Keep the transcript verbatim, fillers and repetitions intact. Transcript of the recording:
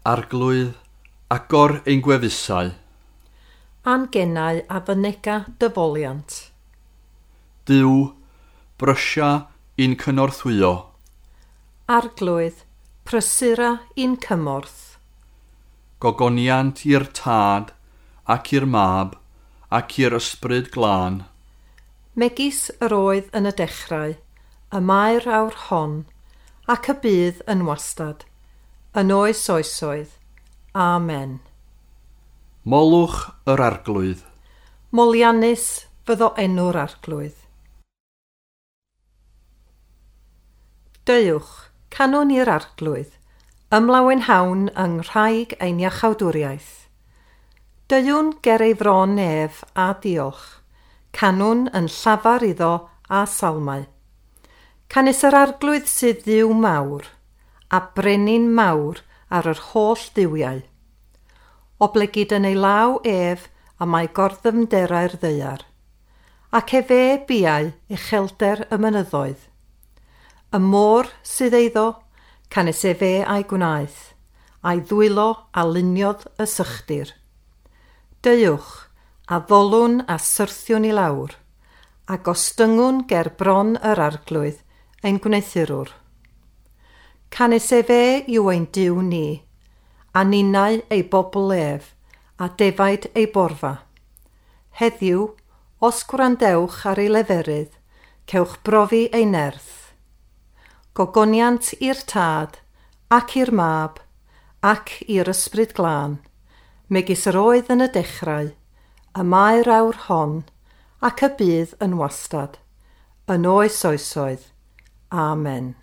Arglwydd, agor ein gwefusau. A'n genau a fynega dy foliant. Duw, brysia i'n cynorthwyo. Arglwydd, prysura i'n cymorth. Gogoniant i'r Tad, ac i'r Mab, ac i'r Ysbryd Glân. Megis yr oedd yn y dechrau, y mae'r awr hon, ac y bydd yn wastad, yn oes oesoedd. Amen. Molwch yr Arglwydd. Moliannus fyddo enw'r Arglwydd. Deuwch, canwn i'r Arglwydd, ymlawenhawn yng nghraig ein iachawdwriaeth. Deuwn ger ei fron ef a diolch, canwn yn llafar iddo a salmau. Canys yr Arglwydd sydd Dduw mawr, a brenin mawr ar yr holl dduwiau. Oblegid yn ei law ef y mae gorddymderau'r ddaear, ac efe biau uchelder y mynyddoedd. Y môr sydd eiddo, canys efe a'i gwnaeth, a'i ddwylo a luniodd y sychdir. Deuwch, a ddolwn a syrthiwn i lawr, a gostyngwn ger bron yr Arglwydd ein gwneuthurwr. Canys efe yw ein Duw ni, a ninnau ei bobl ef, a defaid ei borfa. Heddiw, os gwrandewch ar ei leferydd, cewch brofi ei nerth. Gogoniant i'r Tad, ac i'r Mab, ac i'r Ysbryd Glân, megis yr oedd yn y dechrau, y mae'r awr hon, ac y bydd yn wastad, yn oes oesoedd. Amen.